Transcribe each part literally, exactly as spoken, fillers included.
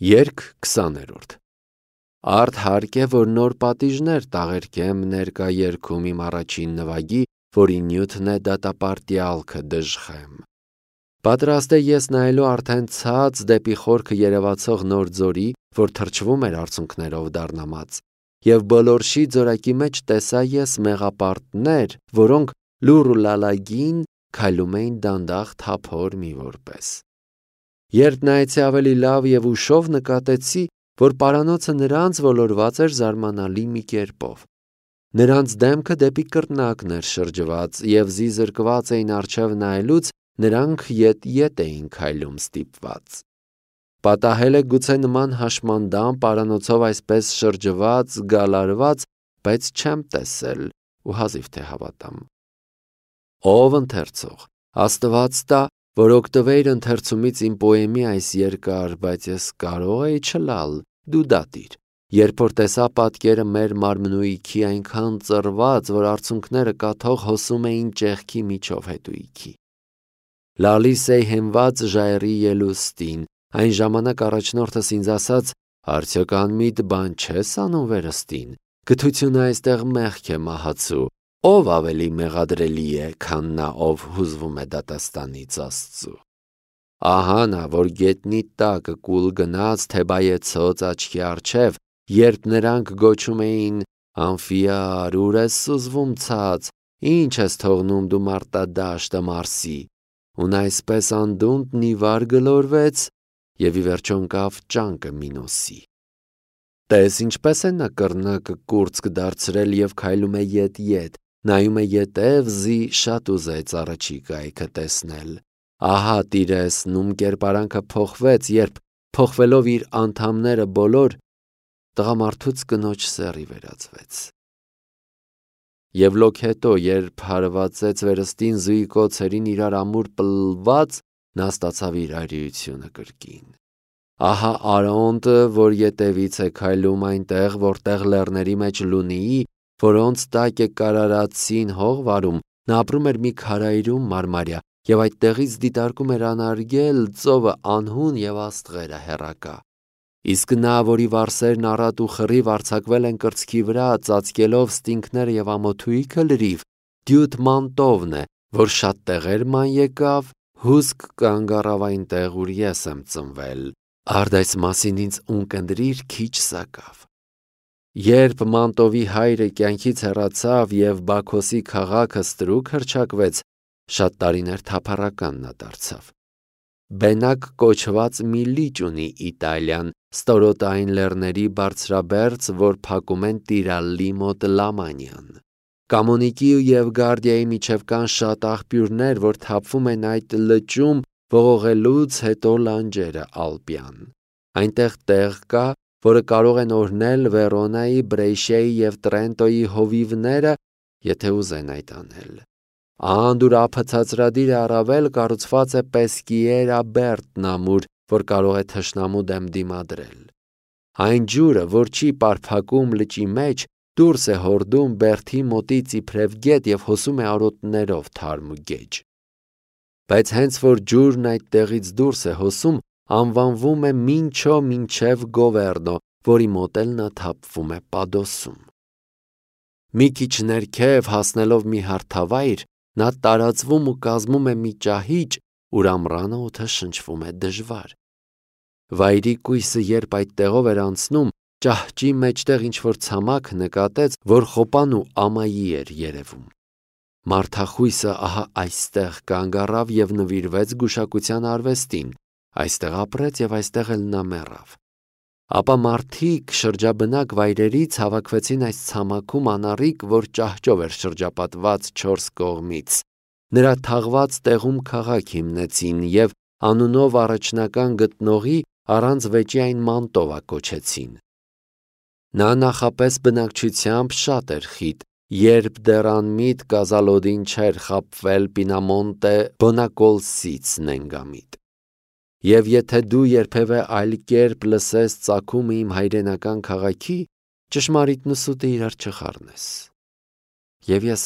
Երգ քսաներորդ Արդ հարկ է, որ նոր պատիժներ տաղերքեմ ներկա երգում իմ առաջին նվագի, որի նյութն է դատապարտյալքը դժխեմ։ Պատրաստ է ես նայելու արդեն ցած դեպի խորքը երևացող նոր ձորի, որ թրջվում էր արցունքներով դառնամած, և բոլորշի ձորակի մեջ տեսա ես մեղապարտներ, որոնք լուռ ու լալագին քայլում էին դանդաղ թափոր մի որպես։ Երբ նայեցի ավելի լավ և ուշով նկատեցի, որ պարանոցը նրանց ոլորված էր զարմանալի մի կերպով։ Նրանց դեմքը դեպի կրկնակն էր շրջված, և զիզրկված էին առջև նայելուց, նրանք ետ-ետ էին քայլում ստիպված։ Պատահել է գուցե նման հաշմանդամ պարանոցով այսպես շրջված, գալարված, բայց չեմ տեսել ու հազիվ թե հավատամ։ Ով ընթերցող, Աստված տա, որ օգտվեիր ընթերցումից իմ պոեմի այս երկար, բայց ես կարող էի չլալ, դու դատիր, երբ որ տեսա պատկերը մեր մարմնույթի այնքան ծռված, որ արցունքները կաթող հոսում էին ճեղքի միջով հետույքի։ Լալիս էի հենված ժայռի ելուստին, այն ժամանակ առաջնորդս ինձ ասաց. «Արդյոք անմիտ բան չես անում վերստին, գթությունը այստեղ մեղք է մահացու, ով ավելի մեղադրելի է, քան նա, ով հուզվում է դատաստանից Աստծու։ Ահա նա, որ գետնի տակը կուլ գնաց Թեբայեցոց աչքի առջև, երբ նրանք գոչում էին. «Անֆիար, ուր ես սուզվում ցած, ինչ ես թողնում դու մարտադաշտը Մարսի», ու նա այսպես անդունդն ի վար գլորվեց և ի վերջո ընկավ ճանկը Մինոսի։ Տես ինչպես է նա կռնակը կուրծք դարձրել և քայլում է ետ-ետ, նայում է ետև, զի շատ ուզեց առաջի կայքը տեսնել։ Ահա տիրես նում կերպարանքը փոխվեց, երբ փոխվելով իր անդամները բոլոր, տղամարդուց կնոջ սեռի վերածվեց։ Եվ լոքհետո, երբ հարվածեց վերստին զույգ օձերին իրար ամուր պլլված, նա ստացավ իր այրիությունը կրկին։ Ահա Արոնտը, որ ետևից է քայլում այնտեղ, որտեղ լեռների մեջ Լունիի, որոնց տակ է կարարացին հող վարում, նա ապրում էր մի քարայրում մարմարյա, և այդտեղից դիտարկում էր անարգել ծովը անհուն և աստղերը հեռակա։ Իսկ նա, որի վարսերն առատ ու խռիվ արձակվել են կրծքի վրա, ծածկելով ստինքները և ամոթույքը լրիվ, դյութ մանտովն է, որ շատ տեղեր ման եկավ, հուսք կանգ առավ այնտեղ, ուր ես եմ ծնվել, արդ այս մասին ինձ ունկնդրիր քիչ սակավ։ Երբ Մանտովի հայրը կյանքից հեռացավ և Բաքոսի քաղաքը ստրուկ հռչակվեց, շատ տարիներ թափառական նա դարձավ։ Բենակ կոչված մի լիճ ունի Իտալիան, ստորոտային լեռների բարձրաբերձ, որ փակում են Տիրալլի մոտ Լամանիան։ Կամոնիկի և Գարդիայի միջև կան շատ աղբյուրներ, որ թափվում են այդ լճում ողողելուց հետո լանջերը Ալպյան։ Այնտեղ տեղ կա, որը կարող են օրհնել Վերոնայի, Բրեշիայի և Տրենտոյի հովիվները, եթե ուզեն այդ անել։ Անդուրափը ցածրադիր է առավել կառուցված է Պեսկիերա Բերտն ամուր, որ կարող է թշնամու դեմ դիմադրել։ Այն ջուրը, որ չի պարփակում լճի մեջ, դուրս է հորդում Բերթի մոտից իբրև գետ և հոսում է արոտներով թարմ ու գեջ։ Բայց հենց որ ջուրն այդտեղից դուրս է հոսում, անվանվում է Մինչո մինչև Գովերնո, որի մոտ էլ նա թափվում է Պադոսում։ Մի քիչ ներքև հասնելով մի հարթավայր, նա տարածվում ու կազմում է մի ճահիճ, ուր ամռանը օդը շնչվում է դժվար։ Վայրի կույսը երբ այդտեղով էր անցնում, ճահճի մեջտեղ ինչ-որ ցամաք նկատեց, որ խոպան ու ամայի էր երևում։ Մարդախույսը ահա այստեղ կանգ առավ և նվիրվեց գուշակության արվեստին, այստեղ ապրեց և այստեղ էլ նա մեռավ։ Ապա մարդիկ շրջաբնակ վայրերից հավաքվեցին այս ցամաքում անառիկ, որ ճահճով էր շրջապատված չորս կողմից, նրա թաղված տեղում քաղաք հիմնեցին և անունով առաջնական գտնողի առանց վեճի այն Մանտովա կոչեցին։ Նա նախապես բնակչությամբ շատ էր խիտ, երբ դեռ անմիտ Կազալոդին չէր խաբվել Պինամոնտե Բոնակոլսից նենգամիտ։ Եվ եթե դու երբևէ այլ կերպ լսես ծագումը իմ հայրենական քաղաքի, ճշմարիտն ու սուտը իրար չխառնես։ Եվ ես.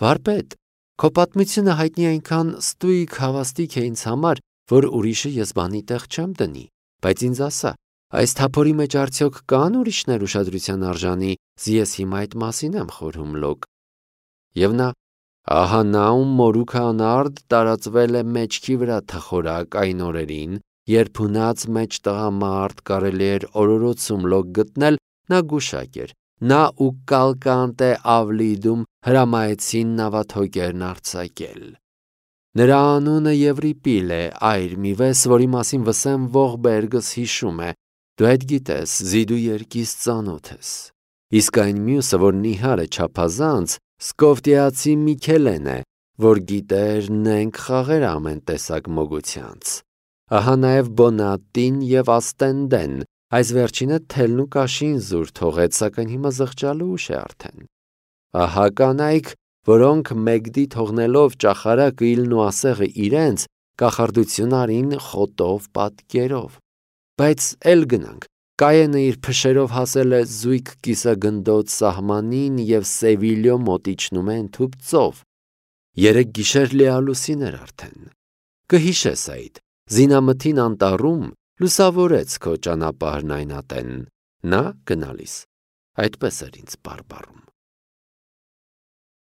վարպետ, քո պատմությունը հայտնի այնքան ստույգ հավաստիք է ինձ համար, որ ուրիշը ես բանի տեղ չեմ դնի։ Բայց ինձ ասա, այս թափորի մեջ արդյոք կան ուրիշներ ուշադրության արժանի, ես հիմա այդ մասին եմ խորհում լոկ։ Եվ նա, ահա նա ում մորուքը անարդ տարածվել է մեջքի վրա թխորակ այն օրերին, երբ հունած մեջ տղամարդ կարելի էր օրորոցում լոկ գտնել, նա գուշակ էր, նա ու կալկանտե ավլիդում հրամայեցին նավաթոկերն արձակել։ Նրա անունը Եվրիպիլ է, այր մի վես, որի մասին Վսեմ Ողբերգս հիշում է, դու այդ գիտես, զիդու երկիս ծանոթ ես։ Իսկ այն մյուսը, որ նիհար է չափազանց, սկովտիացի Միքելեն է, որ գիտեր նենք խաղեր ամեն տեսակ մոգությանց։ Ահա նաև Բոնատին և Աստենդեն, այս վերջինը թելն ու կաշին զուր թողեց, սակայն հիմա զղջալու ուշ է արդեն։ Ահա կանայք, որոնք Մեգդի թողնելով ճախարակը իլն ու ասեղը իրենց, կախարդություն արին խոտով պատկերով։ Բայց էլ գնանք, Կայենը իր փշերով հասել է զույգ կիսագնդոց սահմանին և Սևիլյո մոտ իջնում է ընդհուպ ծով։ Երեք գիշեր լիալուսին էր արդեն։ Կհիշես այդ, զինամթին անտառում լուսավորեց քո ճանապարհն այն ատեն, նա գնալիս, այդպես էր ինձ բարբառում։